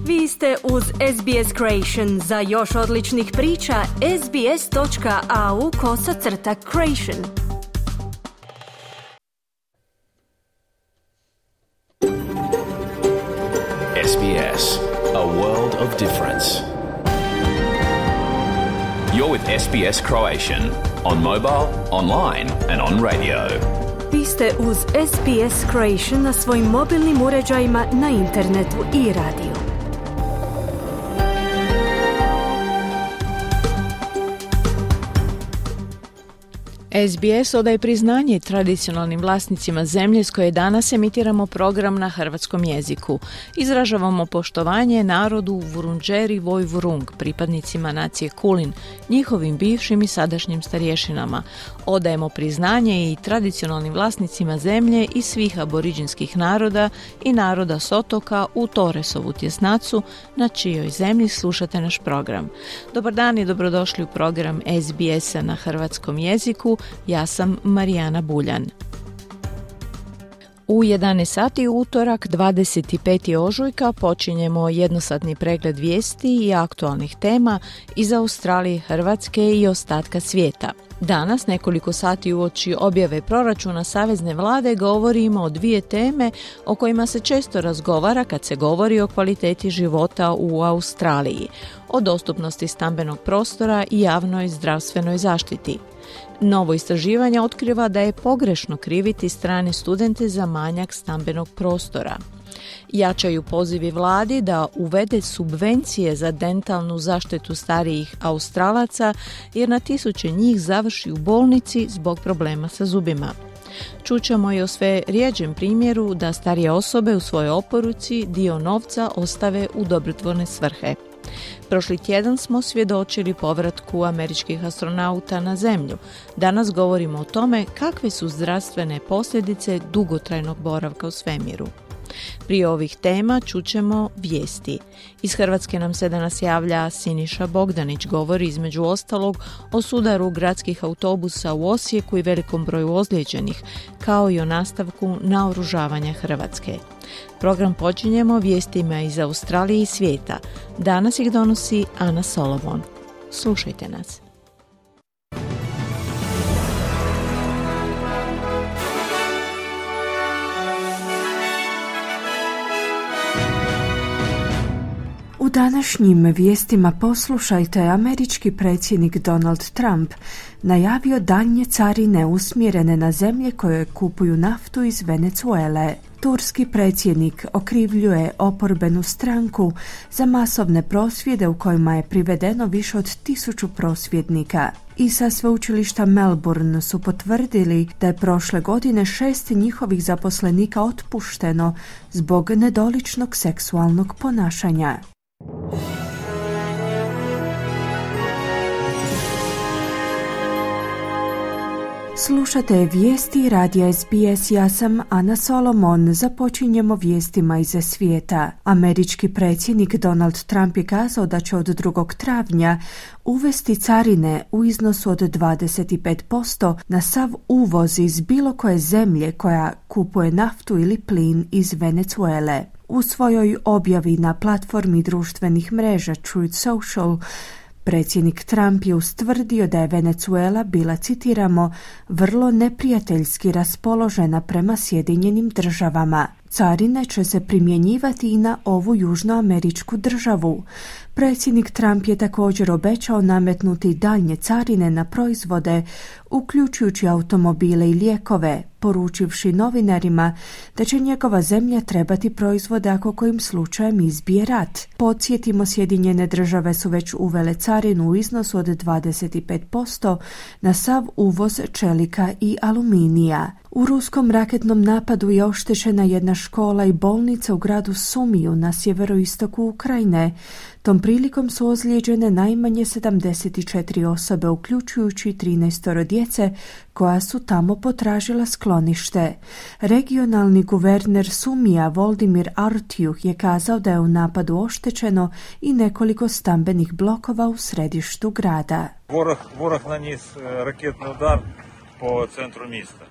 Vi ste uz SBS Creation. Za još odličnih priča, sbs.au/creation. SBS, a world of difference. You're with SBS Croatian on mobile, online and on radio. Vi ste uz SBS Creation na svojim mobilnim uređajima, na internetu i radiju. SBS odaje priznanje tradicionalnim vlasnicima zemlje s koje danas emitiramo program na hrvatskom jeziku. Izražavamo poštovanje narodu Vurundjeri Woi-wurrung, pripadnicima nacije Kulin, njihovim bivšim i sadašnjim starješinama. Odajemo priznanje i tradicionalnim vlasnicima zemlje i svih aboriđinskih naroda i naroda s otoka u Torresovu tjesnacu, na čijoj zemlji slušate naš program. Dobar dan i dobrodošli u program SBS-a na hrvatskom jeziku. Ja sam Marijana Buljan. U 11 sati utorak 25. ožujka počinjemo jednosatni pregled vijesti i aktualnih tema iz Australije, Hrvatske i ostatka svijeta. Danas, nekoliko sati uoči objave proračuna Savezne vlade, govorimo o dvije teme o kojima se često razgovara kad se govori o kvaliteti života u Australiji, o dostupnosti stambenog prostora i javnoj zdravstvenoj zaštiti. Novo istraživanje otkriva da je pogrešno kriviti strane studente za manjak stambenog prostora. Jačaju pozivi vladi da uvede subvencije za dentalnu zaštitu starijih Australaca, jer na tisuće njih završi u bolnici zbog problema sa zubima. Čućemo i o sve rjeđem primjeru da starije osobe u svojoj oporuci dio novca ostave u dobrotvorne svrhe. Prošli tjedan smo svjedočili povratku američkih astronauta na Zemlju. Danas govorimo o tome kakve su zdravstvene posljedice dugotrajnog boravka u svemiru. Prije ovih tema čućemo vijesti. Iz Hrvatske nam se danas javlja Siniša Bogdanić, govori između ostalog o sudaru gradskih autobusa u Osijeku i velikom broju ozlijeđenih, kao i o nastavku naoružavanja Hrvatske. Program počinjemo vijestima iz Australije i svijeta. Danas ih donosi Ana Solomon. Slušajte nas. U današnjim vijestima poslušajte, američki predsjednik Donald Trump najavio daljnje carine usmjerene na zemlje koje kupuju naftu iz Venezuele. Turski predsjednik okrivljuje oporbenu stranku za masovne prosvjede u kojima je privedeno više od 1000 prosvjednika. I sa sveučilišta Melbourne su potvrdili da je prošle godine 6 njihovih zaposlenika otpušteno zbog nedoličnog seksualnog ponašanja. Slušate vijesti radija SBS, ja sam Ana Solomon. Započinjemo vijestima iz svijeta. Američki predsjednik Donald Trump je kazao da će od 2. travnja uvesti carine u iznosu od 25% na sav uvoz iz bilo koje zemlje koja kupuje naftu ili plin iz Venezuele. U svojoj objavi na platformi društvenih mreža Truth Social, predsjednik Trump je ustvrdio da je Venezuela bila, citiramo, vrlo neprijateljski raspoložena prema Sjedinjenim državama. Carine će se primjenjivati i na ovu južnoameričku državu. Predsjednik Trump je također obećao nametnuti daljnje carine na proizvode, uključujući automobile i lijekove, poručivši novinarima da će njegova zemlja trebati proizvode ako kojim slučajem izbije rat. Podsjetimo, Sjedinjene države su već uvele carinu u iznosu od 25% na sav uvoz čelika i aluminija. U ruskom raketnom napadu je oštećena jedna škola i bolnica u gradu Sumiju na sjeveroistoku Ukrajine. Tom prilikom su ozlijeđene najmanje 74 osobe, uključujući 13 djece koja su tamo potražila sklonište. Regionalni guverner Sumija Voldimir Artjuh je kazao da je u napadu oštećeno i nekoliko stambenih blokova u središtu grada. Ворог наніс ракетний удар по центру міста.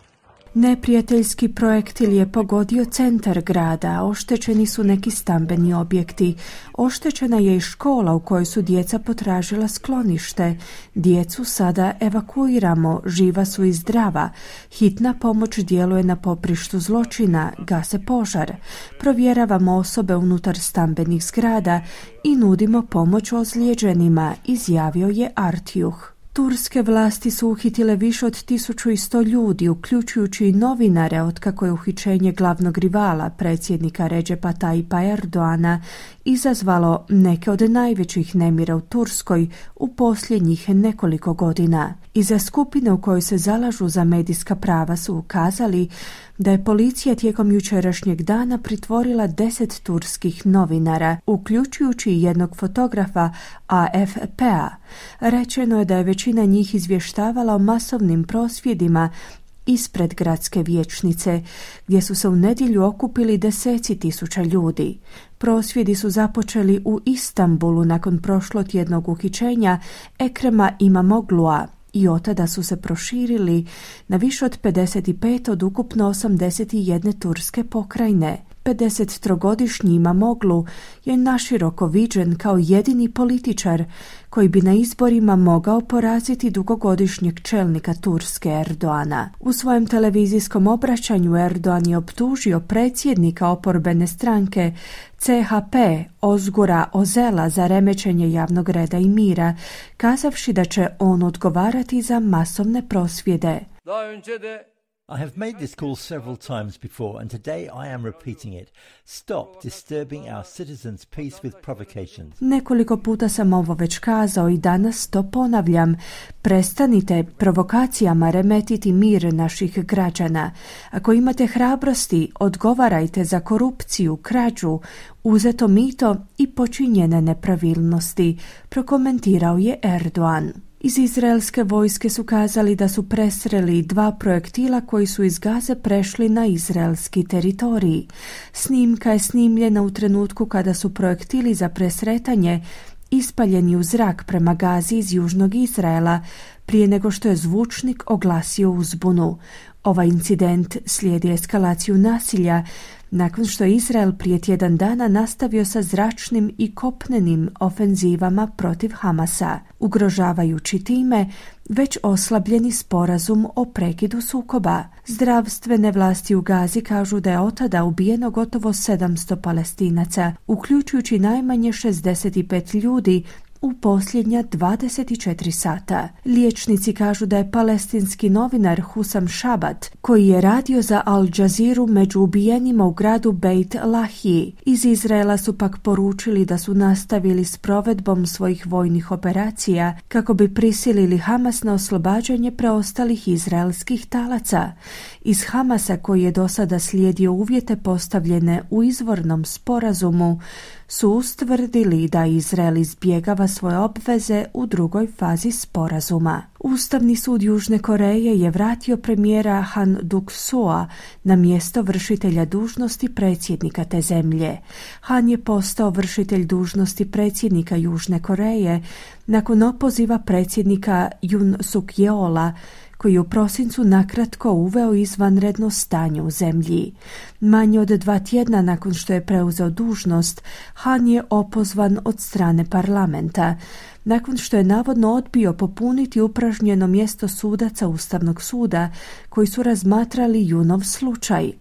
Neprijateljski projektil je pogodio centar grada, oštećeni su neki stambeni objekti. Oštećena je i škola u kojoj su djeca potražila sklonište. Djecu sada evakuiramo, živa su i zdrava. Hitna pomoć djeluje na poprištu zločina, gase požar. Provjeravamo osobe unutar stambenih zgrada i nudimo pomoć ozlijeđenima, izjavio je Artjuh. Turske vlasti su uhitile više od 1100 ljudi, uključujući i novinare, otkako je uhićenje glavnog rivala, predsjednika Recepa Tayyipa Erdoana, izazvalo neke od najvećih nemira u Turskoj u posljednjih nekoliko godina. Iza skupine u kojoj se zalažu za medijska prava su ukazali da je policija tijekom jučerašnjeg dana pritvorila 10 turskih novinara, uključujući i jednog fotografa AFP-a. Rečeno je da je većina njih izvještavala o masovnim prosvjedima ispred gradske vijećnice, gdje su se u nedjelju okupili deseci tisuća ljudi. Prosvjedi su započeli u Istanbulu nakon prošlotjednog uhićenja Ekrema Imamoglu'a i otada su se proširili na više od 55 od ukupno 81 turske pokrajine. 53-godišnji Imamoglu je naširoko viđen kao jedini političar koji bi na izborima mogao poraziti dugogodišnjeg čelnika Turske Erdoana. U svojem televizijskom obraćanju Erdoan je optužio predsjednika oporbene stranke CHP Ozgura Ozela za remećenje javnog reda i mira, kazavši da će on odgovarati za masovne prosvjede. I have made this call several times before, and today I am repeating it. Stop disturbing our citizens' peace with provocations. Nekoliko puta sam ovo već kazao i danas to ponavljam. Prestanite provokacijama remetiti mir naših građana. Ako imate hrabrosti, odgovarajte za korupciju, krađu, uzeto mito i počinjene nepravilnosti, prokomentirao je Erdoan. Iz izraelske vojske su kazali da su presreli 2 projektila koji su iz Gaze prešli na izraelski teritorij. Snimka je snimljena u trenutku kada su projektili za presretanje ispaljeni u zrak prema Gazi iz južnog Izraela, prije nego što je zvučnik oglasio uzbunu. Ovaj incident slijedi eskalaciju nasilja nakon što je Izrael prije tjedan dana nastavio sa zračnim i kopnenim ofenzivama protiv Hamasa, ugrožavajući time već oslabljeni sporazum o prekidu sukoba. Zdravstvene vlasti u Gazi kažu da je otada ubijeno gotovo 700 Palestinaca, uključujući najmanje 65 ljudi u posljednja 24 sata. Liječnici kažu da je palestinski novinar Husam Šabat, koji je radio za Al Jazeeru, među ubijenima u gradu Beit Lahiji. Iz Izraela su pak poručili da su nastavili s provedbom svojih vojnih operacija kako bi prisilili Hamas na oslobađanje preostalih izraelskih talaca. Iz Hamasa, koji je do sada slijedio uvjete postavljene u izvornom sporazumu, su ustvrdili da Izrael izbjegava svoje obveze u drugoj fazi sporazuma. Ustavni sud Južne Koreje je vratio premijera Han Duk-soa na mjesto vršitelja dužnosti predsjednika te zemlje. Han je postao vršitelj dužnosti predsjednika Južne Koreje nakon opoziva predsjednika Yoon Suk-yeola, koji je u prosincu nakratko uveo izvanredno stanje u zemlji. Manje od 2 tjedna nakon što je preuzeo dužnost, Han je opozvan od strane parlamenta, nakon što je navodno odbio popuniti upražnjeno mjesto sudaca Ustavnog suda koji su razmatrali Junov slučaj.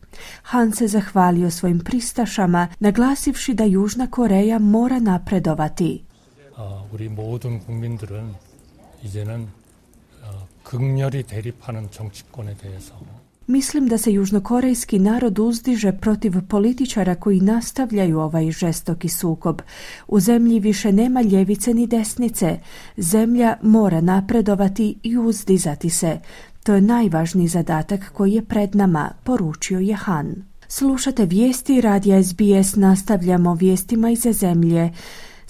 Han se zahvalio svojim pristašama, naglasivši da Južna Koreja mora napredovati. 우리 모든 국민들은 이제는 극렬히 대립하는 정치권에 대해서 Mislim da se južnokorejski narod uzdiže protiv političara koji nastavljaju ovaj žestoki sukob. U zemlji više nema ljevice ni desnice. Zemlja mora napredovati i uzdizati se. To je najvažniji zadatak koji je pred nama, poručio je Han. Slušate vijesti radija SBS, nastavljamo vijestima iz zemlje.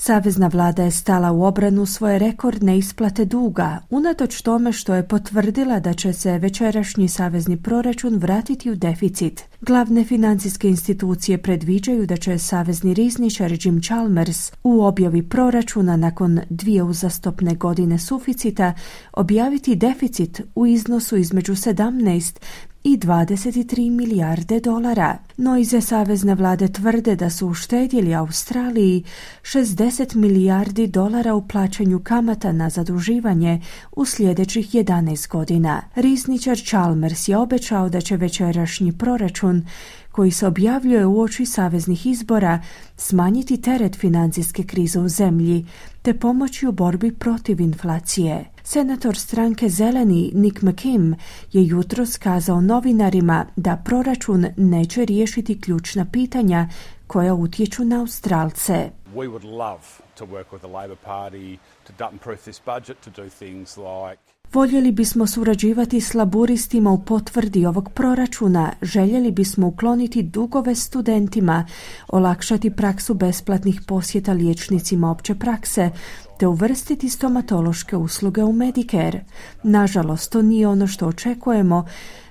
Savezna vlada je stala u obranu svoje rekordne isplate duga, unatoč tome što je potvrdila da će se večerašnji savezni proračun vratiti u deficit. Glavne financijske institucije predviđaju da će savezni rizničar Jim Chalmers u objavi proračuna nakon 2 uzastopne godine suficita objaviti deficit u iznosu između 17 i 23 milijarde dolara. No iza savezne vlade tvrde da su uštedjeli Australiji 60 milijardi dolara u plaćanju kamata na zaduživanje u sljedećih 11 godina. Rizničar Chalmers je obećao da će večerašnji proračun koji se objavljuje uoči saveznih izbora smanjiti teret financijske krize u zemlji te pomoći u borbi protiv inflacije. Senator stranke Zeleni Nick McKim je jutros kazao novinarima da proračun neće riješiti ključna pitanja koja utječu na Australce. We would love to work with the Labor Party to dump-proof this budget, to do things like Voljeli bismo surađivati s laburistima u potvrdi ovog proračuna, željeli bismo ukloniti dugove studentima, olakšati praksu besplatnih posjeta liječnicima opće prakse, te uvrstiti stomatološke usluge u Medicare. Nažalost, to nije ono što očekujemo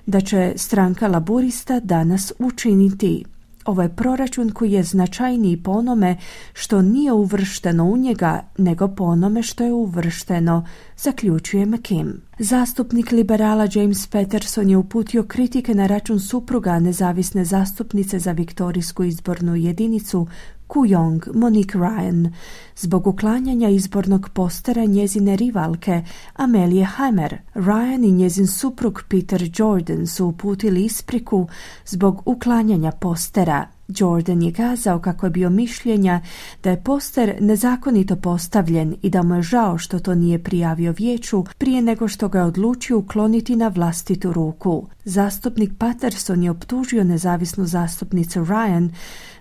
da će stranka laburista danas učiniti. Ovo je proračun koji je značajniji po onome što nije uvršteno u njega, nego po onome što je uvršteno, zaključuje McKim. Zastupnik liberala James Patterson je uputio kritike na račun supruga nezavisne zastupnice za viktorijsku izbornu jedinicu Kooyong, Monique Ryan, zbog uklanjanja izbornog postera njezine rivalke Amelie Hamer. Ryan i njezin suprug Peter Jordan su uputili ispriku zbog uklanjanja postera. Jordan je kazao kako je bio mišljenja da je poster nezakonito postavljen i da mu je žao što to nije prijavio vijeću prije nego što ga je odlučio ukloniti na vlastitu ruku. Zastupnik Patterson je optužio nezavisnu zastupnicu Ryan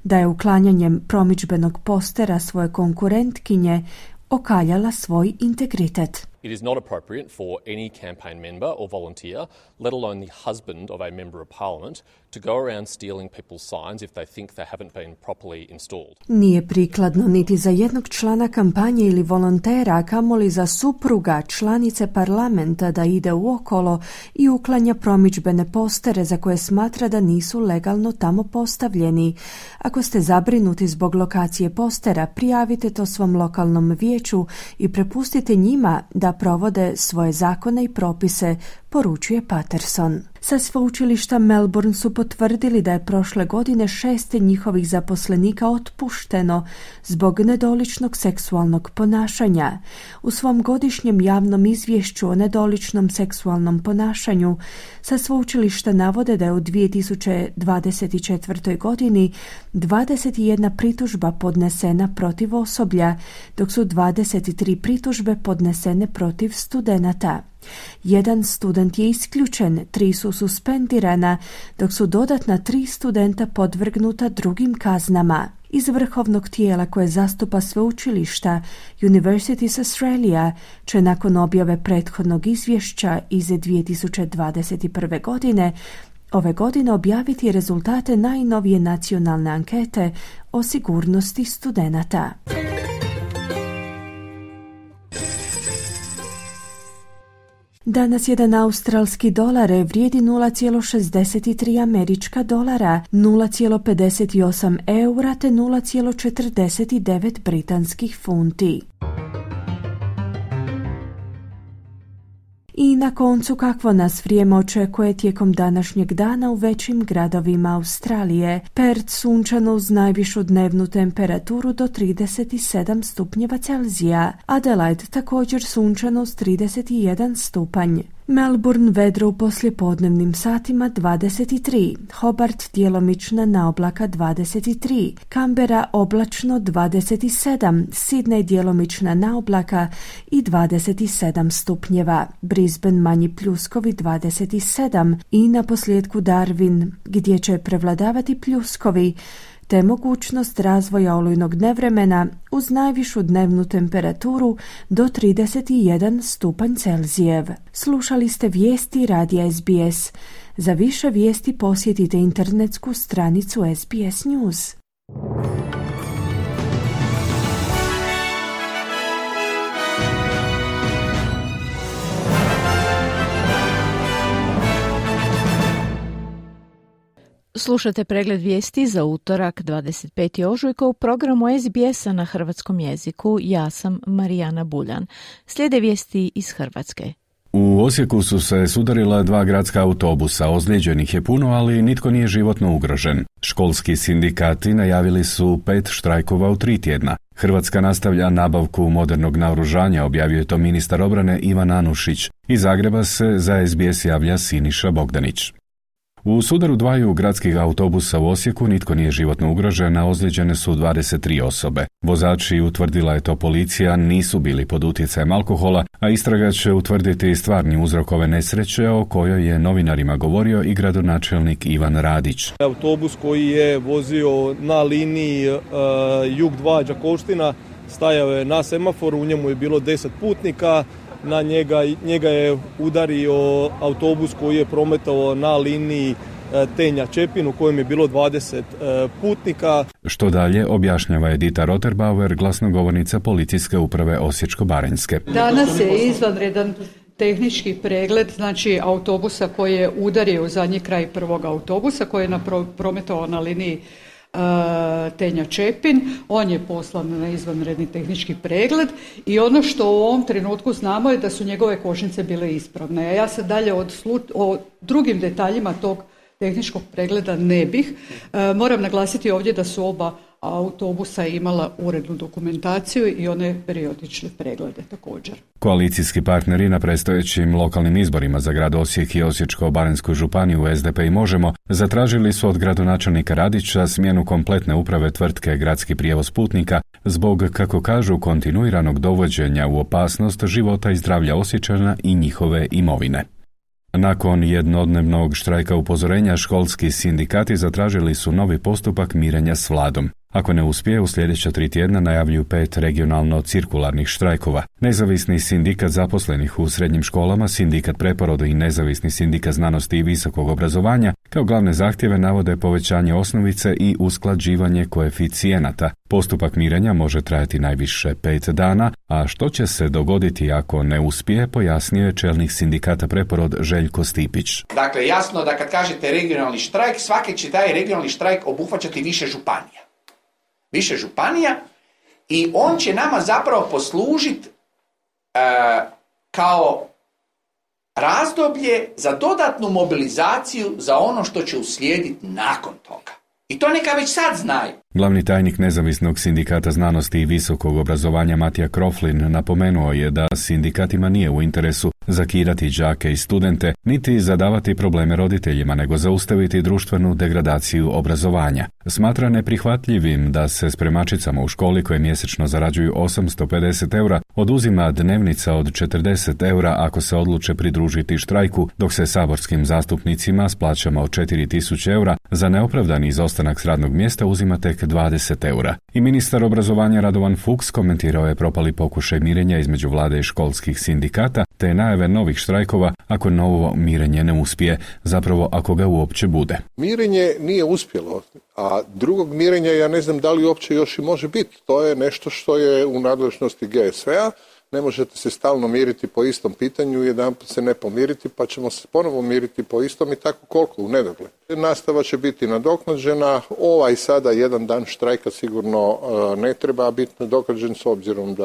da je uklanjanjem promidžbenog postera svoje konkurentkinje okaljala svoj integritet. It is not appropriate for any campaign member or volunteer, let alone the husband of a member of parliament, to go around stealing people's signs if they think they haven't been properly installed. Nije prikladno niti za jednog člana kampanje ili volontera, a kamoli za supruga članice parlamenta da ide uokolo i uklanja promidžbene postere za koje smatra da nisu legalno tamo postavljeni. Ako ste zabrinuti zbog lokacije postera, prijavite to svom lokalnom vijeću i prepustite njima da provode svoje zakone i propise, poručuje Patterson. Sa sveučilišta Melbourne su potvrdili da je prošle godine 6 njihovih zaposlenika otpušteno zbog nedoličnog seksualnog ponašanja. U svom godišnjem javnom izvješću o nedoličnom seksualnom ponašanju sa sveučilišta navode da je u 2024. godini 21 pritužba podnesena protiv osoblja, dok su 23 pritužbe podnesene protiv studenata. Jedan student je isključen, 3 su suspendirana, dok su dodatna 3 studenta podvrgnuta drugim kaznama. Iz vrhovnog tijela koje zastupa sveučilišta, Universities Australia će nakon objave prethodnog izvješća iz 2021. godine ove godine objaviti rezultate najnovije nacionalne ankete o sigurnosti studenata. Danas jedan australski dolar vrijedi 0,63 američka dolara, 0,58 eura te 0,49 britanskih funti. I na koncu kakvo nas vrijeme očekuje tijekom današnjeg dana u većim gradovima Australije. Perth sunčano uz najvišu dnevnu temperaturu do 37 stupnjeva Celzija. Adelaide također sunčano uz 31 stupanj. Melbourne vedro u poslijepodnevnim satima 23, Hobart djelomična naoblaka 23, Canberra oblačno 27, Sydney djelomična naoblaka i 27 stupnjeva, Brisbane manji pljuskovi 27 i na posljedku Darwin gdje će prevladavati pljuskovi te mogućnost razvoja olujnog nevremena uz najvišu dnevnu temperaturu do 31 stupanj Celzijev. Slušali ste vijesti radija SBS. Za više vijesti posjetite internetsku stranicu SBS News. Slušate pregled vijesti za utorak 25. ožujka u programu SBS-a na hrvatskom jeziku. Ja sam Marijana Buljan. Slijede vijesti iz Hrvatske. U Osijeku su se sudarila 2 gradska autobusa, ozlijeđenih je puno, ali nitko nije životno ugrožen. Školski sindikati najavili su 5 štrajkova u 3 tjedna. Hrvatska nastavlja nabavku modernog naoružanja, objavio je to ministar obrane Ivan Anušić. Iz Zagreba se za SBS javlja Siniša Bogdanić. U sudaru 2 gradskih autobusa u Osijeku nitko nije životno ugrožen, a ozlijeđene su 23 osobe. Vozači, utvrdila je to policija, nisu bili pod utjecajem alkohola, a istraga će utvrditi stvarni uzrok ove nesreće o kojoj je novinarima govorio i gradonačelnik Ivan Radić. Autobus koji je vozio na liniji Jug 2 Đakovština stajao je na semaforu, u njemu je bilo 10 putnika. Na njega je udario autobus koji je prometovao na liniji Tenja-Čepin u kojem je bilo 20 putnika. Što dalje, objašnjava Edita Roterbauer, glasnogovornica policijske uprave Osječko-baranjske. Danas je izvanredan tehnički pregled, znači autobusa koji je udario u zadnji kraj prvog autobusa koji je prometovao na liniji Tenja-Čepin. On je poslan na izvanredni tehnički pregled i ono što u ovom trenutku znamo je da su njegove kočnice bile ispravne. A ja se dalje o drugim detaljima tog tehničkog pregleda ne bih. Moram naglasiti ovdje da su oba autobusa imala urednu dokumentaciju i one periodične preglede također. Koalicijski partneri na predstojećim lokalnim izborima za grad Osijek i Osječko-baranjsku županiju SDP i Možemo zatražili su od gradonačelnika Radića smjenu kompletne uprave tvrtke Gradski prijevoz putnika zbog, kako kažu, kontinuiranog dovođenja u opasnost života i zdravlja Osječana i njihove imovine. Nakon jednodnevnog štrajka upozorenja, školski sindikati zatražili su novi postupak mirenja s vladom. Ako ne uspije, u sljedeća 3 tjedna najavljuju 5 regionalno-cirkularnih štrajkova. Nezavisni sindikat zaposlenih u srednjim školama, sindikat Preporodu i nezavisni sindikat znanosti i visokog obrazovanja kao glavne zahtjeve navode povećanje osnovice i usklađivanje koeficijenata. Postupak mirenja može trajati najviše 5 dana, a što će se dogoditi ako ne uspije, pojasnio je čelnik sindikata Preporod Željko Stipić. Dakle, jasno da kad kažete regionalni štrajk, svaki će taj regionalni štrajk obuhvaćati više županija. Više županija i on će nama zapravo poslužiti kao razdoblje za dodatnu mobilizaciju za ono što će uslijediti nakon toga. I to neka već sad znaju. Glavni tajnik nezavisnog sindikata znanosti i visokog obrazovanja Matija Kroflin napomenuo je da sindikatima nije u interesu zakidati đake i studente, niti zadavati probleme roditeljima, nego zaustaviti društvenu degradaciju obrazovanja. Smatra neprihvatljivim da se spremačicama u školi koje mjesečno zarađuju 850 eura oduzima dnevnica od 40 eura ako se odluče pridružiti štrajku, dok se saborskim zastupnicima s plaćama od 4000 eura za neopravdani izostanak s radnog mjesta uzima tek 20 eura. I ministar obrazovanja Radovan Fuchs komentirao je propali pokušaj mirenja između vlade i školskih sindikata, te najave novih štrajkova ako novo mirenje ne uspije, zapravo ako ga uopće bude. Mirenje nije uspjelo, a drugog mirenja ja ne znam da li uopće još i može biti. To je nešto što je u nadležnosti GSV-a. Ne možete se stalno miriti po istom pitanju, jedanput se ne pomiriti, pa ćemo se ponovo miriti po istom i tako koliko u nedogled. Nastava će biti nadoknađena, ovaj sada jedan dan štrajka sigurno ne treba biti nadoknađen s obzirom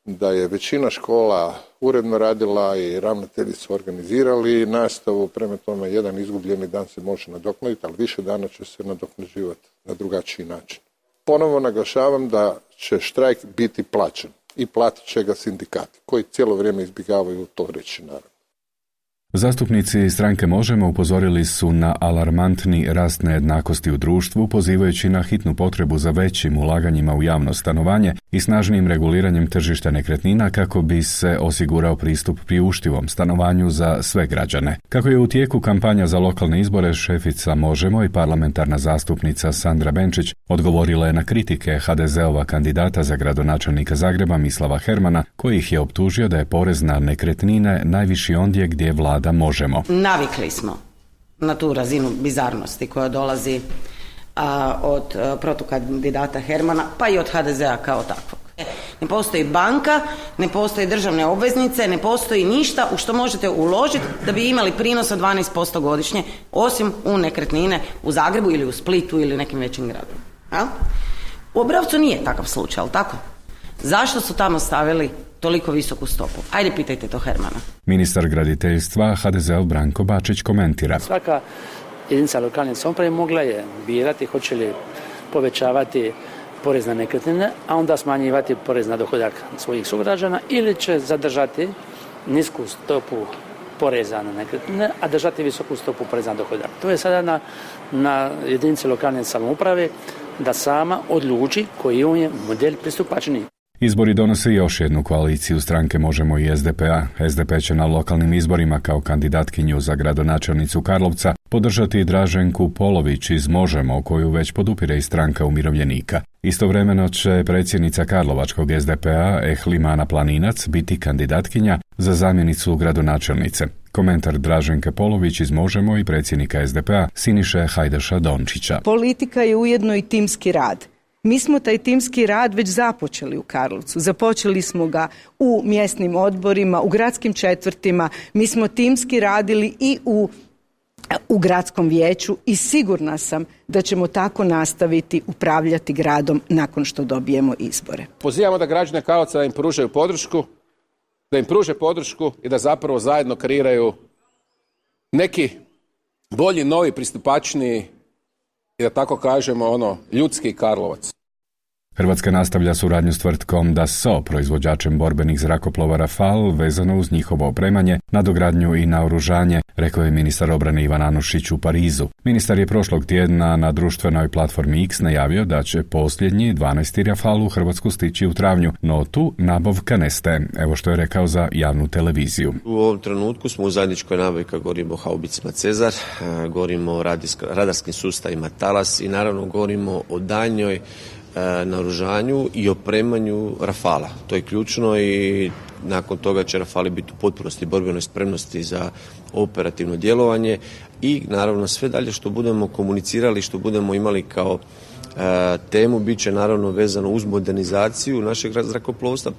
da je većina škola uredno radila i ravnatelji su organizirali nastavu, prema tome jedan izgubljeni dan se može nadoknaditi, ali više dana će se nadoknađivati na drugačiji način. Ponovo naglašavam da će štrajk biti plaćen i platit će ga sindikati, koji cijelo vrijeme izbjegavaju to reći, naravno. Zastupnici stranke Možemo upozorili su na alarmantni rast nejednakosti u društvu, pozivajući na hitnu potrebu za većim ulaganjima u javno stanovanje i snažnijim reguliranjem tržišta nekretnina kako bi se osigurao pristup priuštivom stanovanju za sve građane. Kako je u tijeku kampanja za lokalne izbore, šefica Možemo i parlamentarna zastupnica Sandra Benčić odgovorila je na kritike HDZ-ova kandidata za gradonačelnika Zagreba Mislava Hermana, koji ih je optužio da je porez na nekretnine najviši ondje gdje vlada Možemo. Navikli smo na tu razinu bizarnosti koja dolazi od protukandidata Hermana, pa i od HDZ-a kao takvog. Ne postoji banka, ne postoji državne obveznice, ne postoji ništa u što možete uložiti da bi imali prinos od 12% godišnje, osim u nekretnine u Zagrebu ili u Splitu ili nekim većim gradovima. U Obrovcu nije takav slučaj, ali tako? Zašto su tamo stavili toliko visoku stopu? Ajde, pitajte to Hermana. Ministar graditeljstva HDZ-ov Branko Bačić komentira. Svaka jedinica lokalne samouprave mogla je birati hoće li povećavati porez na nekretnine, a onda smanjivati porez na dohodak svojih sugrađana, ili će zadržati nisku stopu poreza na nekretnine, a držati visoku stopu poreza na dohodak. To je sada na jedinici lokalne samouprave da sama odluči koji je model pristupačniji. Izbori donose još jednu koaliciju stranke Možemo i SDP-a. SDP će na lokalnim izborima kao kandidatkinju za gradonačelnicu Karlovca podržati Draženku Polović iz Možemo, koju već podupire i stranka umirovljenika. Istovremeno će predsjednica Karlovačkog SDP-a Ehlimana Planinac biti kandidatkinja za zamjenicu gradonačelnice. Komentar Draženke Polović iz Možemo i predsjednika SDP-a Siniše Hajdaša Dončića. Politika je ujedno i timski rad. Mi smo taj timski rad već započeli u Karlovcu. Započeli smo ga u mjesnim odborima, u gradskim četvrtima. Mi smo timski radili i u gradskom vijeću i sigurna sam da ćemo tako nastaviti upravljati gradom nakon što dobijemo izbore. Pozivamo da građane Karlovca da im pružaju podršku, da im pruže podršku i da zapravo zajedno kreiraju neki bolji, novi, pristupačniji i da tako kažemo ljudski Karlovac. Hrvatska nastavlja suradnju s tvrtkom Dassault, proizvođačem borbenih zrakoplova Rafale, vezano uz njihovo opremanje, nadogradnju i naoružanje, rekao je ministar obrane Ivan Anušić u Parizu. Ministar je prošlog tjedna na društvenoj platformi X najavio da će posljednji 12. Rafale u Hrvatsku stići u travnju, no tu nabavka ne staje. Evo što je rekao za javnu televiziju. U ovom trenutku smo u zajedničkoj nabavi kad govorimo o haubicima Cezar, govorimo o radarskim sustavima Talas i naravno govorimo o daljnjoj naoružanju i opremanju Rafala. To je ključno i nakon toga će Rafali biti u potpunosti borbenoj spremnosti za operativno djelovanje i naravno sve dalje što budemo komunicirali, što budemo imali kao temu bit će naravno vezano uz modernizaciju našeg zrakoplovstva,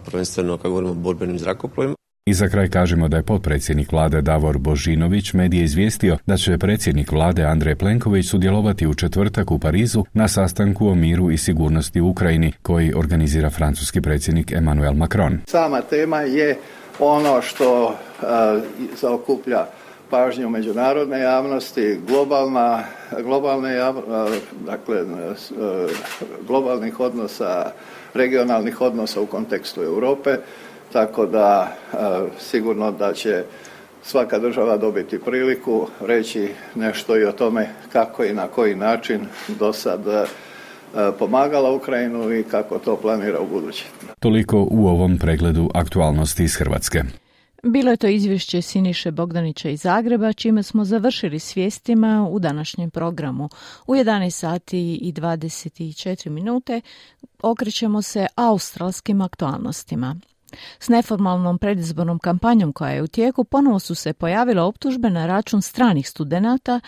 prvenstveno kad govorimo o borbenim zrakoplovima. I za kraj kažemo da je potpredsjednik vlade Davor Božinović medije izvijestio da će predsjednik vlade Andrej Plenković sudjelovati u četvrtak u Parizu na sastanku o miru i sigurnosti u Ukrajini koji organizira francuski predsjednik Emmanuel Macron. Sama tema je ono što zaokuplja pažnju međunarodne javnosti, globalnih odnosa, regionalnih odnosa u kontekstu Europe. Tako da sigurno da će svaka država dobiti priliku reći nešto i o tome kako i na koji način do sad pomagala Ukrajinu i kako to planira u buduće. Toliko u ovom pregledu aktualnosti iz Hrvatske. Bilo je to izvješće Siniše Bogdanića iz Zagreba, čime smo završili s vijestima u današnjem programu. U 11 sati i 24 minute okrećemo se australskim aktualnostima. S neformalnom predizbornom kampanjom koja je u tijeku ponovo su se pojavile optužbe na račun stranih studenata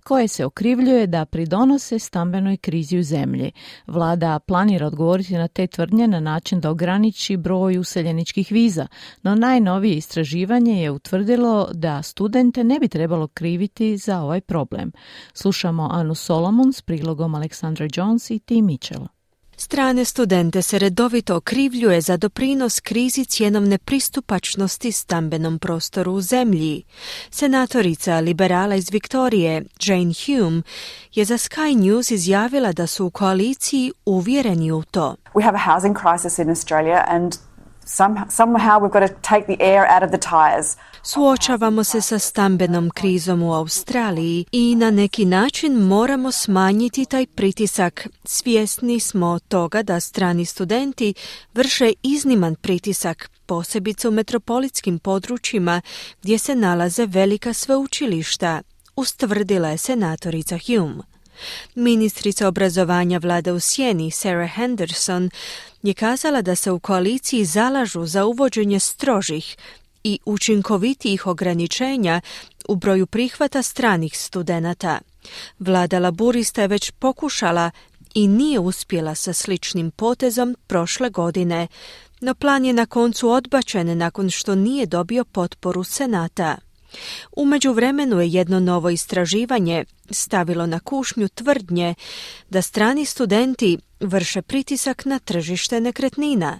koje se okrivljuje da pridonose stambenoj krizi u zemlji. Vlada planira odgovoriti na te tvrdnje na način da ograniči broj useljeničkih viza, no najnovije istraživanje je utvrdilo da studente ne bi trebalo kriviti za ovaj problem. Slušamo Anu Solomon s prilogom Aleksandra Jones i Tim Mitchell. Strane studente se redovito okrivljuje za doprinos krizi cjenovne pristupačnosti stambenom prostoru u zemlji. Senatorica liberala iz Viktorije, Jane Hume, je za Sky News izjavila da su u koaliciji uvjereni u to. We have a housing crisis in Australia and somehow we've got to take the air out of the tires. Suočavamo se sa stambenom krizom u Australiji i na neki način moramo smanjiti taj pritisak. Svjesni smo toga da strani studenti vrše izniman pritisak, posebice u metropolitskim područjima gdje se nalaze velika sveučilišta, ustvrdila je senatorica Hume. Ministrica obrazovanja vlade u sjeni Sarah Henderson je kazala da se u koaliciji zalažu za uvođenje strožih i učinkovitijih ograničenja u broju prihvata stranih studenata. Vlada Laburista je već pokušala i nije uspjela sa sličnim potezom prošle godine, no plan je na koncu odbačen nakon što nije dobio potporu Senata. U međuvremenu je jedno novo istraživanje stavilo na kušnju tvrdnje da strani studenti vrše pritisak na tržište nekretnina.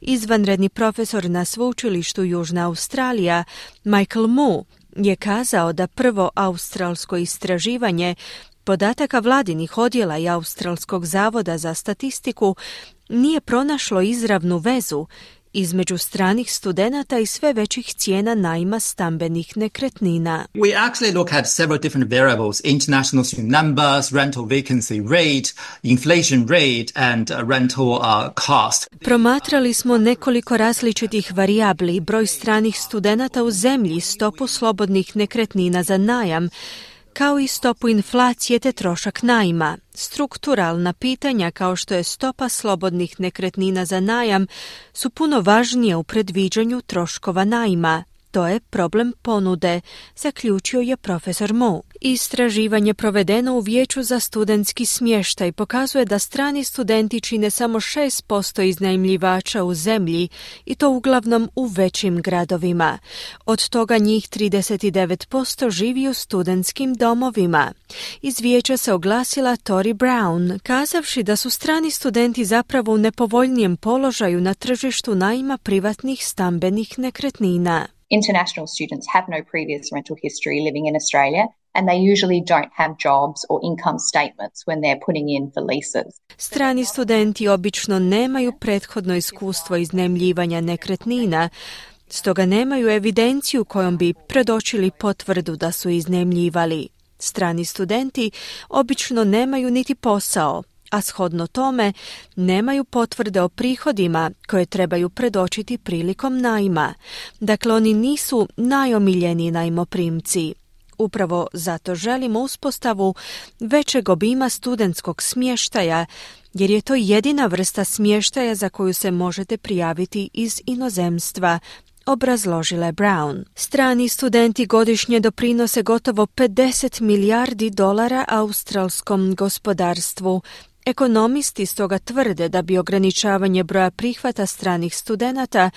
Izvanredni profesor na sveučilištu Južna Australija, Michael Mu, je kazao da prvo australsko istraživanje podataka vladinih odjela i Australskog zavoda za statistiku nije pronašlo izravnu vezu između stranih studenata i sve većih cijena najma stambenih nekretnina. We actually look at several different variables: international student numbers, rental vacancy rate, inflation rate and rental cost. Promatrali smo nekoliko različitih varijabli: broj stranih studenata u zemlji, stopu slobodnih nekretnina za najam, kao i stopu inflacije te trošak najma. Strukturalna pitanja kao što je stopa slobodnih nekretnina za najam su puno važnije u predviđanju troškova najma. To je problem ponude, zaključio je profesor Mo. Istraživanje provedeno u Vijeću za studentski smještaj pokazuje da strani studenti čine samo 6% iznajmljivača u zemlji i to uglavnom u većim gradovima. Od toga njih 39% živi u studentskim domovima. Iz vijeća se oglasila Tori Brown, kazavši da su strani studenti zapravo u nepovoljnijem položaju na tržištu najma privatnih stambenih nekretnina. International students have no previous rental history living in Australia, and they usually don't have jobs or income statements when they're putting in for leases. Strani studenti obično nemaju prethodno iskustvo iznajmljivanja nekretnina, stoga nemaju evidenciju kojom bi predočili potvrdu da su iznajmljivali. Strani studenti obično nemaju niti posao, a shodno tome nemaju potvrde o prihodima koje trebaju predočiti prilikom najma. Dakle, oni nisu najomiljeniji najmoprimci. Upravo zato želimo uspostavu većeg obima studentskog smještaja, jer je to jedina vrsta smještaja za koju se možete prijaviti iz inozemstva, obrazložila je Brown. Strani studenti godišnje doprinose gotovo $50 milijardi australskom gospodarstvu. Ekonomisti stoga tvrde da bi ograničavanje broja prihvata stranih studenata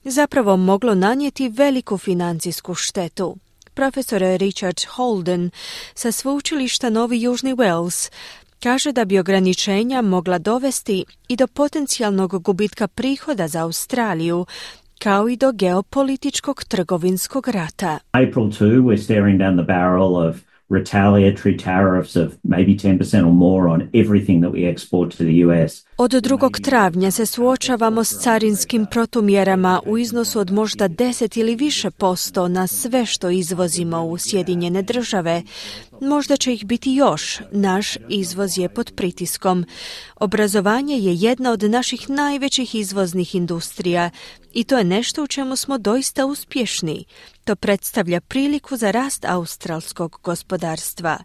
zapravo moglo nanijeti veliku financijsku štetu. Profesor Richard Holden sa sveučilišta Novi Južni Wales kaže da bi ograničenja mogla dovesti i do potencijalnog gubitka prihoda za Australiju, kao i do geopolitičkog trgovinskog rata. April 2, we're staring down the barrel of retaliatory tariffs of maybe 10% or more on everything that we export to the US. Od 2. travnja se suočavamo s carinskim protumjerama u iznosu od možda 10 ili više posto na sve što izvozimo u Sjedinjene Države. Možda će ih biti još. Naš izvoz je pod pritiskom. Obrazovanje je jedna od naših najvećih izvoznih industrija i to je nešto u čemu smo doista uspješni. To predstavlja priliku za rast australskog gospodarstva.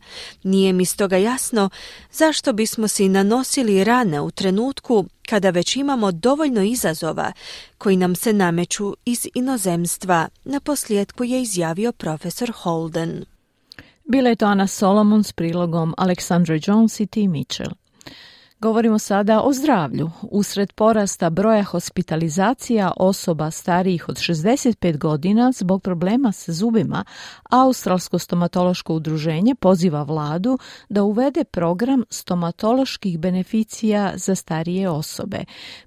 Nije mi stoga jasno zašto bismo si nanosili rane u trenutku kada već imamo dovoljno izazova koji nam se nameću iz inozemstva, naposljetku je izjavio profesor Holden. Bila je to Ana Solomon s prilogom Alexandra Jones i T. Mitchell. Govorimo sada o zdravlju. Usred porasta broja hospitalizacija osoba starijih od 65 godina zbog problema sa zubima, Australsko stomatološko udruženje poziva vladu da uvede program stomatoloških beneficija za starije osobe.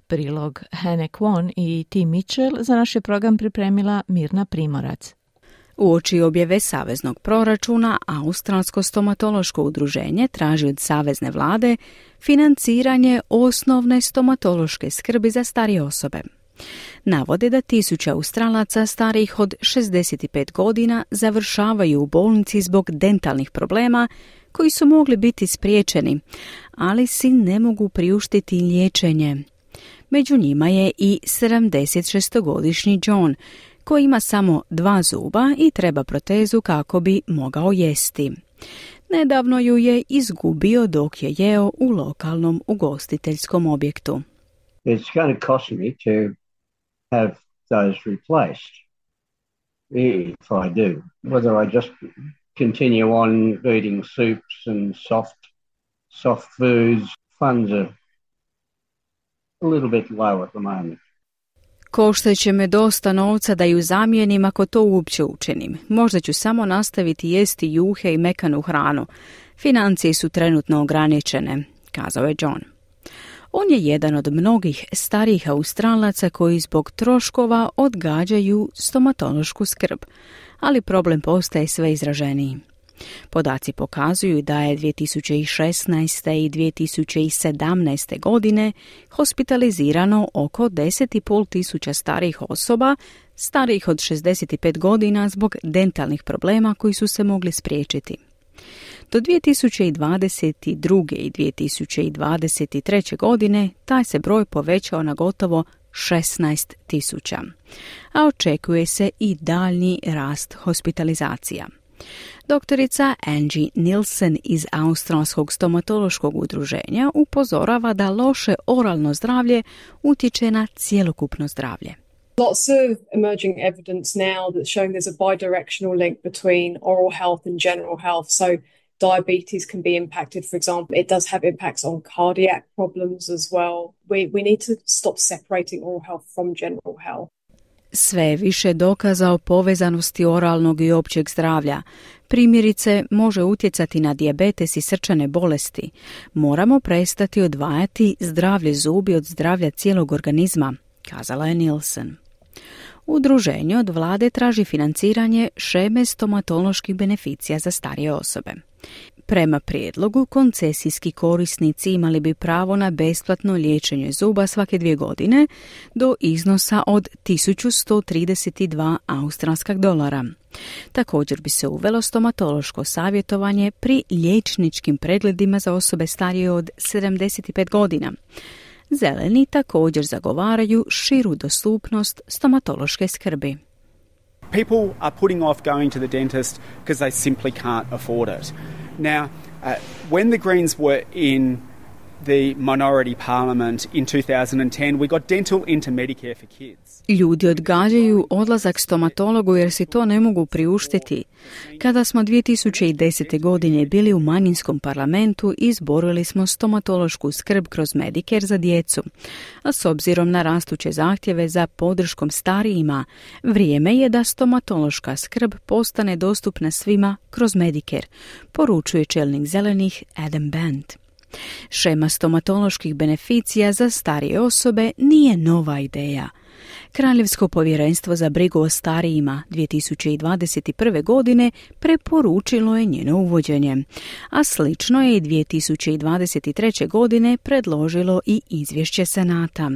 Prilog Hannah Kwon i T. Mitchell za naš je program pripremila Mirna Primorac. Uoči objave saveznog proračuna, Australsko stomatološko udruženje traži od savezne vlade financiranje osnovne stomatološke skrbi za starije osobe. Navode da 1000 Australaca starijih od 65 godina završavaju u bolnici zbog dentalnih problema koji su mogli biti spriječeni, ali si ne mogu priuštiti liječenje. Među njima je i 76-godišnji John, koji ima samo 2 zuba i treba protezu kako bi mogao jesti. Nedavno ju je izgubio dok je jeo u lokalnom ugostiteljskom objektu. It's going to cost me to have those replaced if I do. Whether I just continue on eating soups and soft foods, funds are a little bit low at the moment. Koštaće me dosta novca da ju zamijenim ako to uopće učinim. Možda ću samo nastaviti jesti juhe i mekanu hranu. Financije su trenutno ograničene, kazao je John. On je jedan od mnogih starijih Australaca koji zbog troškova odgađaju stomatološku skrb, ali problem postaje sve izraženiji. Podaci pokazuju da je 2016. i 2017. godine hospitalizirano oko 10,5 tisuća starijih osoba, starijih od 65 godina zbog dentalnih problema koji su se mogli spriječiti. Do 2022. i 2023. godine taj se broj povećao na gotovo 16 tisuća, a očekuje se i daljnji rast hospitalizacija. Doktorica Angie Nielsen iz Australskog stomatološkog udruženja upozorava da loše oralno zdravlje utječe na cjelokupno zdravlje. Lots of emerging evidence now that's showing there's a bidirectional link between oral health and general health. So diabetes can be impacted, for example. It does have impacts on cardiac problems as well. We need to stop separating oral health from general health. Sve je više dokaza o povezanosti oralnog i općeg zdravlja. Primjerice, može utjecati na dijabetes i srčane bolesti. Moramo prestati odvajati zdravlje zubi od zdravlja cijelog organizma, kazala je Nielsen. Udruženje od vlade traži financiranje šeme stomatoloških beneficija za starije osobe. Prema prijedlogu, koncesijski korisnici imali bi pravo na besplatno liječenje zuba svake 2 godine do iznosa od $1132 australskih dolara. Također bi se uvelo stomatološko savjetovanje pri liječničkim pregledima za osobe starije od 75 godina. Zeleni također zagovaraju širu dostupnost stomatološke skrbi. People are putting off going to the dentist because they simply can't afford it. Now, when the Greens were in the minority parliament in 2010, we got dental into Medicare for kids. Ljudi odgađaju odlazak stomatologu jer si to ne mogu priuštiti. Kada smo 2010. godine bili u manjinskom parlamentu, izborili smo stomatološku skrb kroz Medicare za djecu. A s obzirom na rastuće zahtjeve za podrškom starijima, vrijeme je da stomatološka skrb postane dostupna svima kroz Medicare, poručuje čelnik zelenih Adam Band. Šema stomatoloških beneficija za starije osobe nije nova ideja. Kraljevsko povjerenstvo za brigu o starijima 2021. godine preporučilo je njeno uvođenje, a slično je i 2023. godine predložilo i izvješće Senata.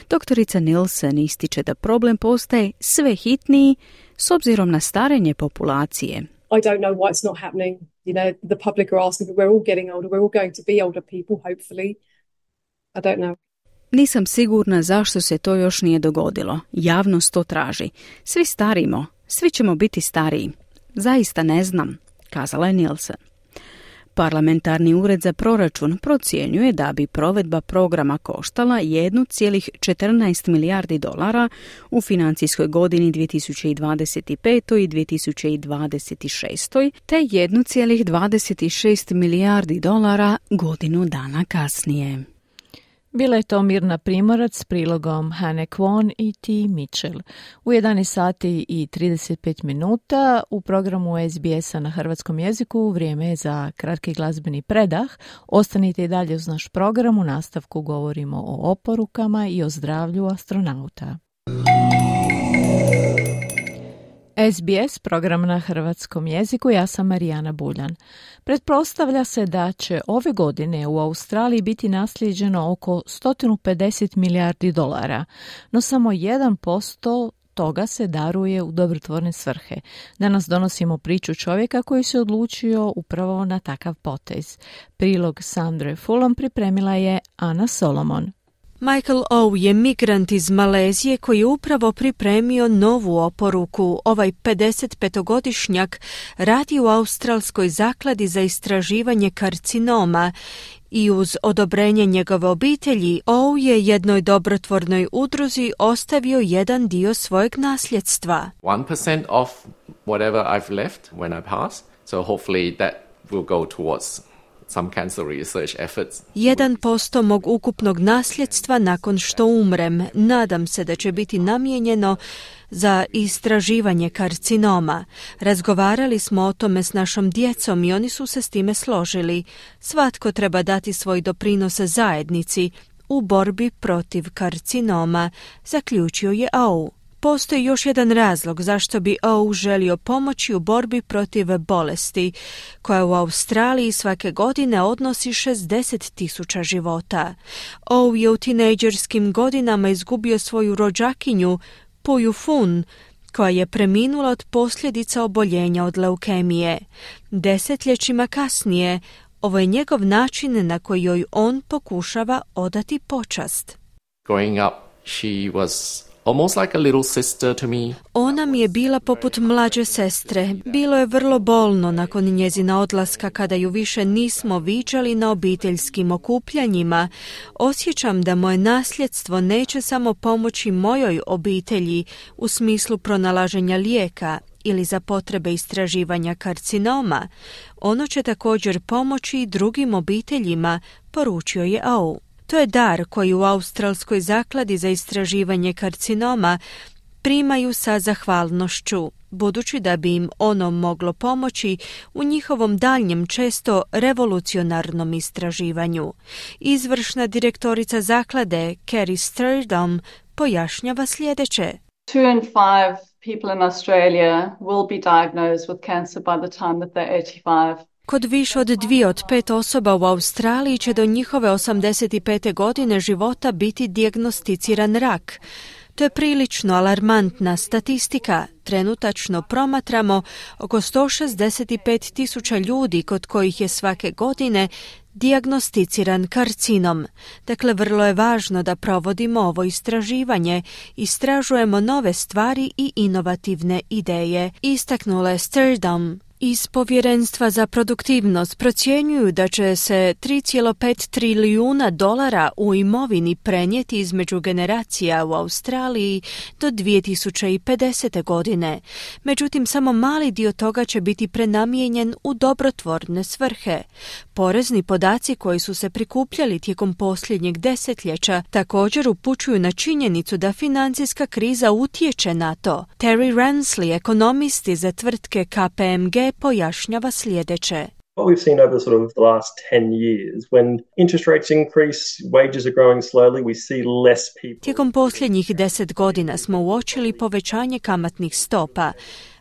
Doktorica Nielsen ističe da problem postaje sve hitniji s obzirom na starenje populacije. I don't know why it's not happening. You know, the public are asking, but we're all getting older. We're all going to be older people, hopefully. I don't know. Nisam sigurna zašto se to još nije dogodilo. Javnost to traži. Svi starimo. Svi ćemo biti stariji. Zaista ne znam, kazala je Nielsen. Parlamentarni ured za proračun procjenjuje da bi provedba programa koštala 1,14 milijardi dolara u financijskoj godini 2025. i 2026. te 1,26 milijardi dolara godinu dana kasnije. Bila je to Mirna Primorac s prilogom Hane Kwon i T. Mitchell. U 11 sati i 35 minuta u programu SBS-a na hrvatskom jeziku vrijeme je za kratki glazbeni predah. Ostanite i dalje uz naš program. U nastavku govorimo o oporukama i o zdravlju astronauta. SBS, program na hrvatskom jeziku, ja sam Marijana Buljan. Pretpostavlja se da će ove godine u Australiji biti naslijeđeno oko 150 milijardi dolara, no samo 1% toga se daruje u dobrotvorne svrhe. Danas donosimo priču čovjeka koji se odlučio upravo na takav potez. Prilog Sandre Fulham pripremila je Ana Solomon. Michael O je migrant iz Malezije koji je upravo pripremio novu oporuku. Ovaj 55-godišnjak radi u Australskoj zakladi za istraživanje karcinoma i uz odobrenje njegove obitelji O je jednoj dobrotvornoj udruzi ostavio jedan dio svojeg nasljedstva. 1% of whatever I've left when I pass, so hopefully that will go towards some cancer research efforts. 1% mog ukupnog nasljedstva nakon što umrem. Nadam se da će biti namijenjeno za istraživanje karcinoma. Razgovarali smo o tome s našom djecom i oni su se s time složili. Svatko treba dati svoj doprinos zajednici u borbi protiv karcinoma, zaključio je Ou. Postoji još jedan razlog zašto bi Ou želio pomoći u borbi protiv bolesti, koja u Australiji svake godine odnosi 60,000 života. Ou je u tinejdžerskim godinama izgubio svoju rođakinju, Puju Fun, koja je preminula od posljedica oboljenja od leukemije. Desetljećima kasnije, ovo je njegov način na koji joj on pokušava odati počast. Growing up, she was almost like a little sister to me. Ona mi je bila poput mlađe sestre. Bilo je vrlo bolno nakon njezina odlaska kada ju više nismo viđali na obiteljskim okupljanjima. Osjećam da moje nasljedstvo neće samo pomoći mojoj obitelji u smislu pronalaženja lijeka ili za potrebe istraživanja karcinoma. Ono će također pomoći i drugim obiteljima, poručio je Ou. To je dar koji u Australskoj zakladi za istraživanje karcinoma primaju sa zahvalnošću, budući da bi im ono moglo pomoći u njihovom daljnjem, često revolucionarnom istraživanju. Izvršna direktorica zaklade, Kerry Sturdom, pojašnjava sljedeće. 2 in 5 people in Australia will be diagnosed with cancer by the time that they're 85. Kod više od 2 od 5 osoba u Australiji će do njihove 85. godine života biti dijagnosticiran rak. To je prilično alarmantna statistika. Trenutačno promatramo oko 165,000 ljudi kod kojih je svake godine dijagnosticiran karcinom. Dakle, vrlo je važno da provodimo ovo istraživanje, istražujemo nove stvari i inovativne ideje, istaknula je Sturdom. Iz Povjerenstva za produktivnost procjenjuju da će se $3,5 trilijuna u imovini prenijeti između generacija u Australiji do 2050. godine. Međutim, samo mali dio toga će biti prenamijenjen u dobrotvorne svrhe. Porezni podaci koji su se prikupljali tijekom posljednjeg desetljeća također upućuju na činjenicu da financijska kriza utječe na to. Terry Ransley, ekonomist iz tvrtke KPMG, pojašnjava sljedeće. What we've seen over sort of the last 10 years, when interest rates increase, wages are growing slowly, we see less people. Tijekom posljednjih 10 godina smo uočili povećanje kamatnih stopa,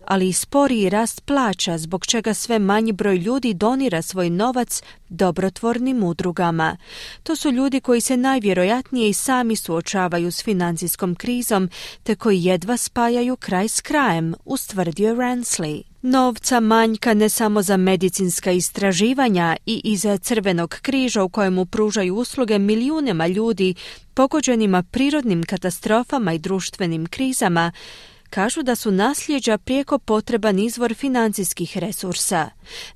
ali i sporiji rast plaća, zbog čega sve manji broj ljudi donira svoj novac dobrotvornim udrugama. To su ljudi koji se najvjerojatnije i sami suočavaju s financijskom krizom, te koji jedva spajaju kraj s krajem, ustvrdio Ransley. Novca manjka ne samo za medicinska istraživanja i iza Crvenog križa u kojemu pružaju usluge milijunima ljudi pogođenima prirodnim katastrofama i društvenim krizama, kažu da su nasljeđa prijeko potreban izvor financijskih resursa.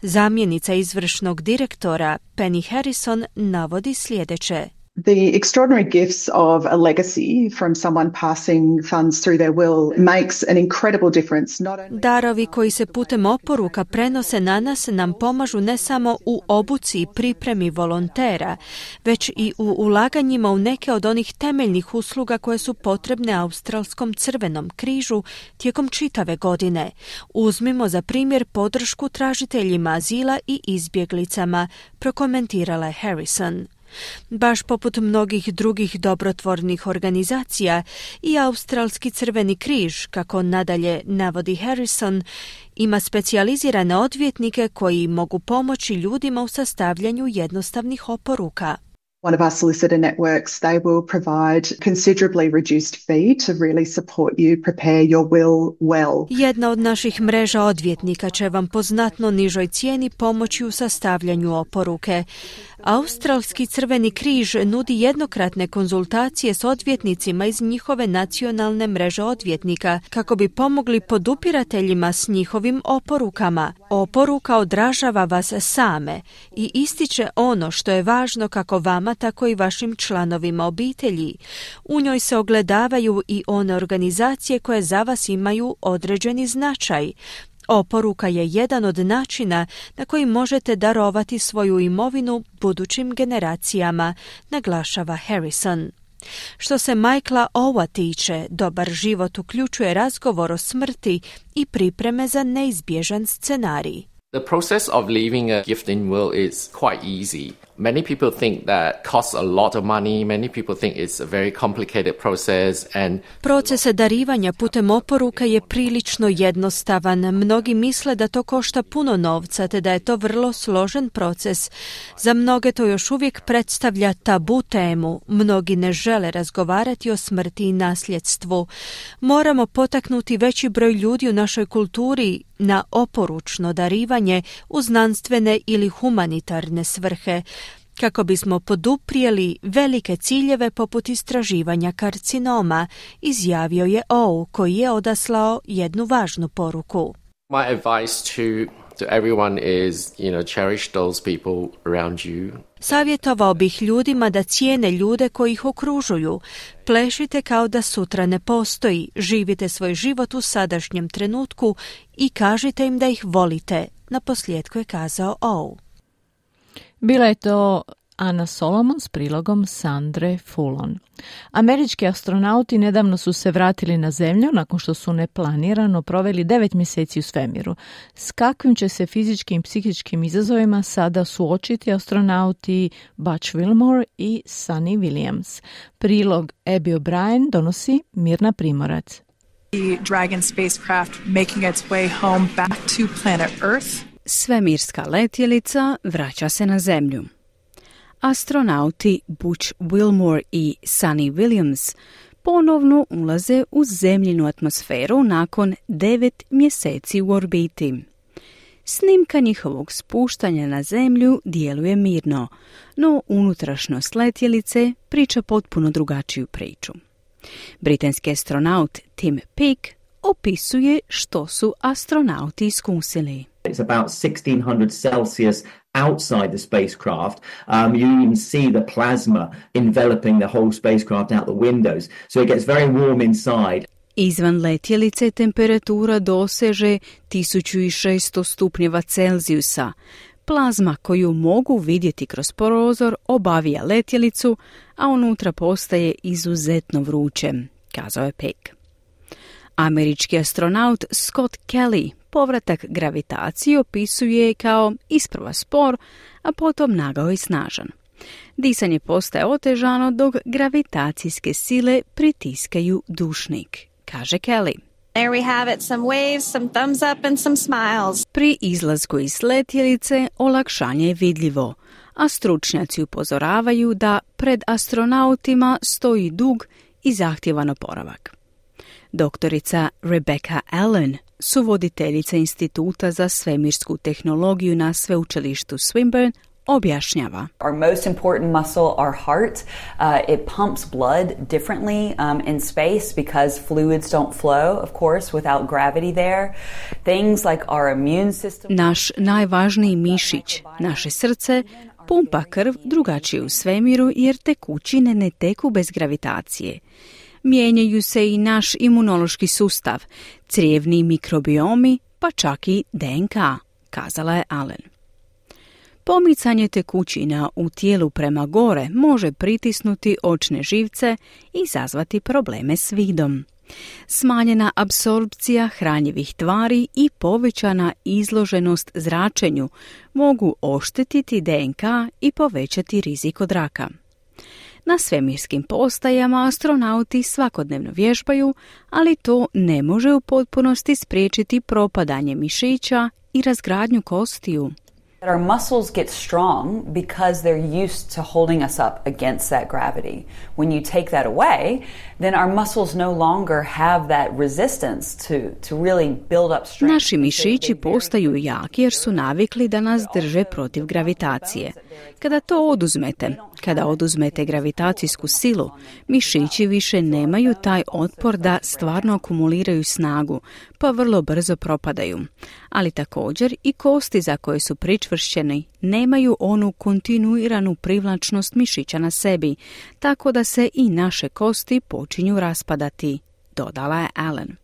Zamjenica izvršnog direktora Penny Harrison navodi sljedeće. The extraordinary gifts of a legacy from someone passing funds through their will makes an incredible difference. Darovi koji se putem oporuka prenose na nas nam pomažu ne samo u obuci i pripremi volontera, već i u ulaganjima u neke od onih temeljnih usluga koje su potrebne Australskom Crvenom križu tijekom čitave godine. Uzmimo za primjer podršku tražiteljima azila i izbjeglicama, prokomentirala je Harrison. Baš poput mnogih drugih dobrotvornih organizacija, i Australski Crveni križ, kako nadalje navodi Harrison, ima specijalizirane odvjetnike koji mogu pomoći ljudima u sastavljanju jednostavnih oporuka. One of our solicitor networks, they will provide considerably reduced fee to really support you prepare your will well. Jedna od naših mreža odvjetnika će vam po znatno nižoj cijeni pomoći u sastavljanju oporuke. Australski Crveni križ nudi jednokratne konzultacije s odvjetnicima iz njihove nacionalne mreže odvjetnika kako bi pomogli podupirateljima s njihovim oporukama. Oporuka odražava vas same i ističe ono što je važno kako vama, tako i vašim članovima obitelji. U njoj se ogledavaju i one organizacije koje za vas imaju određeni značaj. Oporuka je jedan od načina na koji možete darovati svoju imovinu budućim generacijama, naglašava Harrison. Što se Michaela Owa tiče, dobar život uključuje razgovor o smrti i pripreme za neizbježan scenarij. The process of leaving a gifting will is quite easy. Many people think that costs a lot of money. Many people think it's a very complicated process and Proces darivanja putem oporuka je prilično jednostavan. Mnogi misle da to košta puno novca, te da je to vrlo složen proces. Za mnoge to još uvijek predstavlja tabu temu. Mnogi ne žele razgovarati o smrti i nasljedstvu. Moramo potaknuti veći broj ljudi u našoj kulturi na oporučno darivanje u znanstvene ili humanitarne svrhe, kako bismo poduprijeli velike ciljeve poput istraživanja karcinoma, izjavio je O, koji je odaslao jednu važnu poruku. my advice to everyone is, cherish those people around you. Savjetovao bih ljudima da cijene ljude koji ih okružuju. Plešite kao da sutra ne postoji, živite svoj život u sadašnjem trenutku i kažite im da ih volite, naposljetku je kazao O. Bila je to Ana Solomon s prilogom Sandre Fulon. Američki astronauti nedavno su se vratili na Zemlju nakon što su neplanirano proveli 9 mjeseci u svemiru. S kakvim će se fizičkim i psihičkim izazovima sada suočiti astronauti Butch Wilmore i Sunny Williams? Prilog Abby O'Brien donosi Mirna Primorac. The Dragon spacecraft making its way home back to planet Earth. Svemirska letjelica vraća se na Zemlju. Astronauti Butch Wilmore i Sunny Williams ponovno ulaze u zemljinu atmosferu nakon 9 mjeseci u orbiti. Snimka njihovog spuštanja na Zemlju djeluje mirno, no unutrašnjost letjelice priča potpuno drugačiju priču. Britanski astronaut Tim Peake opisuje što su astronauti iskusili. It's about 1600 Celsius outside the spacecraft. You even see the plasma enveloping the whole spacecraft out the windows. So it gets very warm inside. Izvan letjelice temperatura doseže 1600 stupnjeva Celzijusa. Plazma koju mogu vidjeti kroz prozor obavija letjelicu, a unutra postaje izuzetno vruće, kazao je Peake. Američki astronaut Scott Kelly povratak gravitaciji opisuje kao isprva spor, a potom nagao i snažan. Disanje postaje otežano dok gravitacijske sile pritiskaju dušnik, kaže Kelly. There we have it, some waves, some thumbs up and some smiles. Pri izlasku iz letjelice olakšanje je vidljivo, a stručnjaci upozoravaju da pred astronautima stoji dug i zahtjevan oporavak. Doktorica Rebecca Allen, suvoditeljica Instituta za svemirsku tehnologiju na sveučilištu Swinburne, objašnjava. Our most important muscle, our heart, it pumps blood differently in space because fluids don't flow, of course, without gravity there. Things like our immune system. Naš najvažniji mišić, naše srce, pumpa krv drugačije u svemiru jer tekućine ne teku bez gravitacije. Mijenjaju se i naš imunološki sustav, crijevni mikrobiomi, pa čak i DNK, kazala je Allen. Pomicanje tekućina u tijelu prema gore može pritisnuti očne živce i izazvati probleme s vidom. Smanjena apsorpcija hranjivih tvari i povećana izloženost zračenju mogu oštetiti DNK i povećati rizik od raka. Na svemirskim postajama astronauti svakodnevno vježbaju, ali to ne može u potpunosti spriječiti propadanje mišića i razgradnju kostiju. Our muscles get strong because they're used to holding us up against that gravity. When you take that away, then our muscles no longer have that resistance to really build up strength. Naši mišići postaju jaki jer su navikli da nas drže protiv gravitacije. Kada to oduzmete, kada oduzmete gravitacijsku silu, mišići više nemaju taj otpor da stvarno akumuliraju snagu, pa vrlo brzo propadaju. Ali također i kosti za koje su pričvršćeni nemaju onu kontinuiranu privlačnost mišića na sebi, tako da se i naše kosti počinju raspadati, dodala je Allen.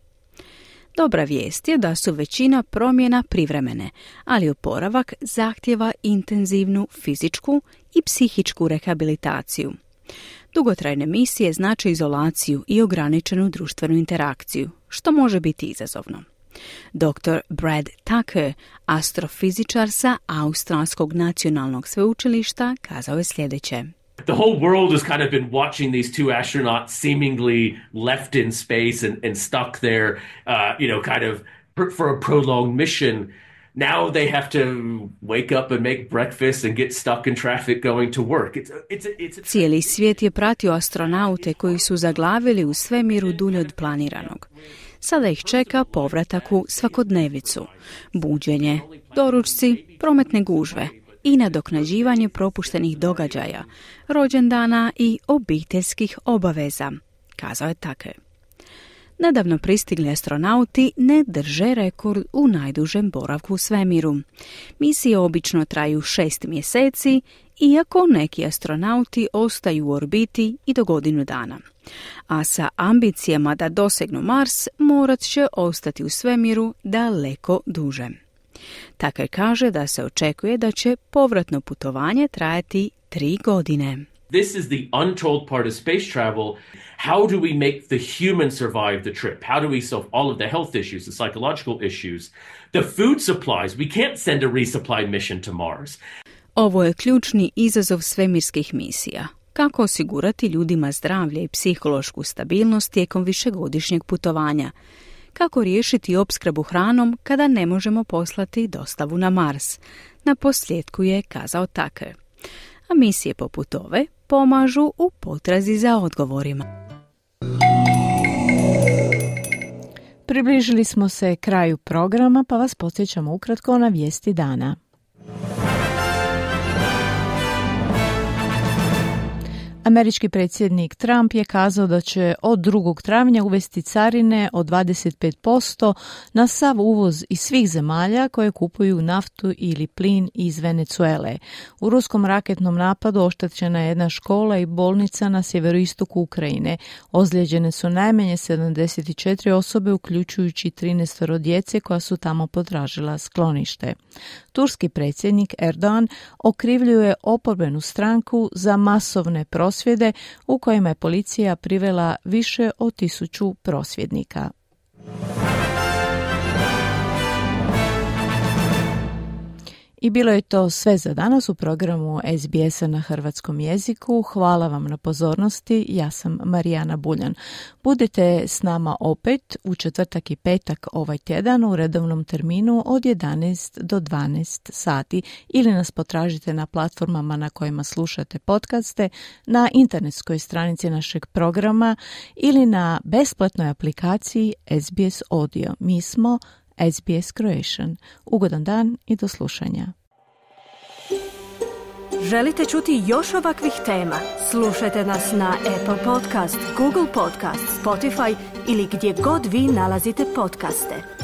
Dobra vijest je da su većina promjena privremene, ali oporavak zahtjeva intenzivnu fizičku i psihičku rehabilitaciju. Dugotrajne misije znače izolaciju i ograničenu društvenu interakciju, što može biti izazovno. Dr. Brad Tucker, astrofizičar sa Australskog nacionalnog sveučilišta, kazao je sljedeće. The whole world has kind of been watching these two astronauts seemingly left in space and stuck there, kind of for a prolonged mission. Now they have to wake up and make breakfast and get stuck in traffic going to work. Cijeli svijet je pratio astronaute koji su zaglavili u svemiru dulje od planiranog. Sada ih čeka povratak u svakodnevicu, buđenje, doručci, prometne gužve i nadoknađivanje propuštenih događaja, rođendana i obiteljskih obaveza, kazao je Tucker. Nedavno pristigli astronauti ne drže rekord u najdužem boravku u svemiru. Misije obično traju 6 mjeseci, iako neki astronauti ostaju u orbiti i do godinu dana. A sa ambicijama da dosegnu Mars morat će ostati u svemiru daleko duže. Tucker kaže da se očekuje da će povratno putovanje trajati 3 godine. This is the untold part of space travel. How do we make the human survive the trip? How do we solve all of the health issues, the psychological issues, the food supplies? We can't send a resupply mission to Mars. Ovo je ključni izazov svemirskih misija. Kako osigurati ljudima zdravlje i psihološku stabilnost tijekom višegodišnjeg putovanja? Kako riješiti opskrbu hranom kada ne možemo poslati dostavu na Mars? Na posljedku je kazao Tucker. A misije poput ove pomažu u potrazi za odgovorima. Približili smo se kraju programa, pa vas podsjećamo ukratko na vijesti dana. Američki predsjednik Trump je kazao da će od 2. travnja uvesti carine od 25% na sav uvoz iz svih zemalja koje kupuju naftu ili plin iz Venezuele. U ruskom raketnom napadu oštećena je jedna škola i bolnica na sjeveroistoku Ukrajine. Ozlijeđene su najmanje 74 osobe, uključujući 13 djece koja su tamo potražila sklonište. Turski predsjednik Erdogan okrivljuje oporbenu stranku za masovne prosvjede u kojima je policija privela više od 1000 prosvjednika. I bilo je to sve za danas u programu SBS-a na hrvatskom jeziku. Hvala vam na pozornosti. Ja sam Marijana Buljan. Budite s nama opet u četvrtak i petak ovaj tjedan u redovnom terminu od 11 do 12 sati ili nas potražite na platformama na kojima slušate podcaste, na internetskoj stranici našeg programa ili na besplatnoj aplikaciji SBS Audio. Mi smo SBS Croatian. Ugodan dan i do slušanja. Želite čuti još ovakvih tema? Slušajte nas na Apple Podcast, Google Podcast, Spotify ili gdje god vi nalazite podcaste.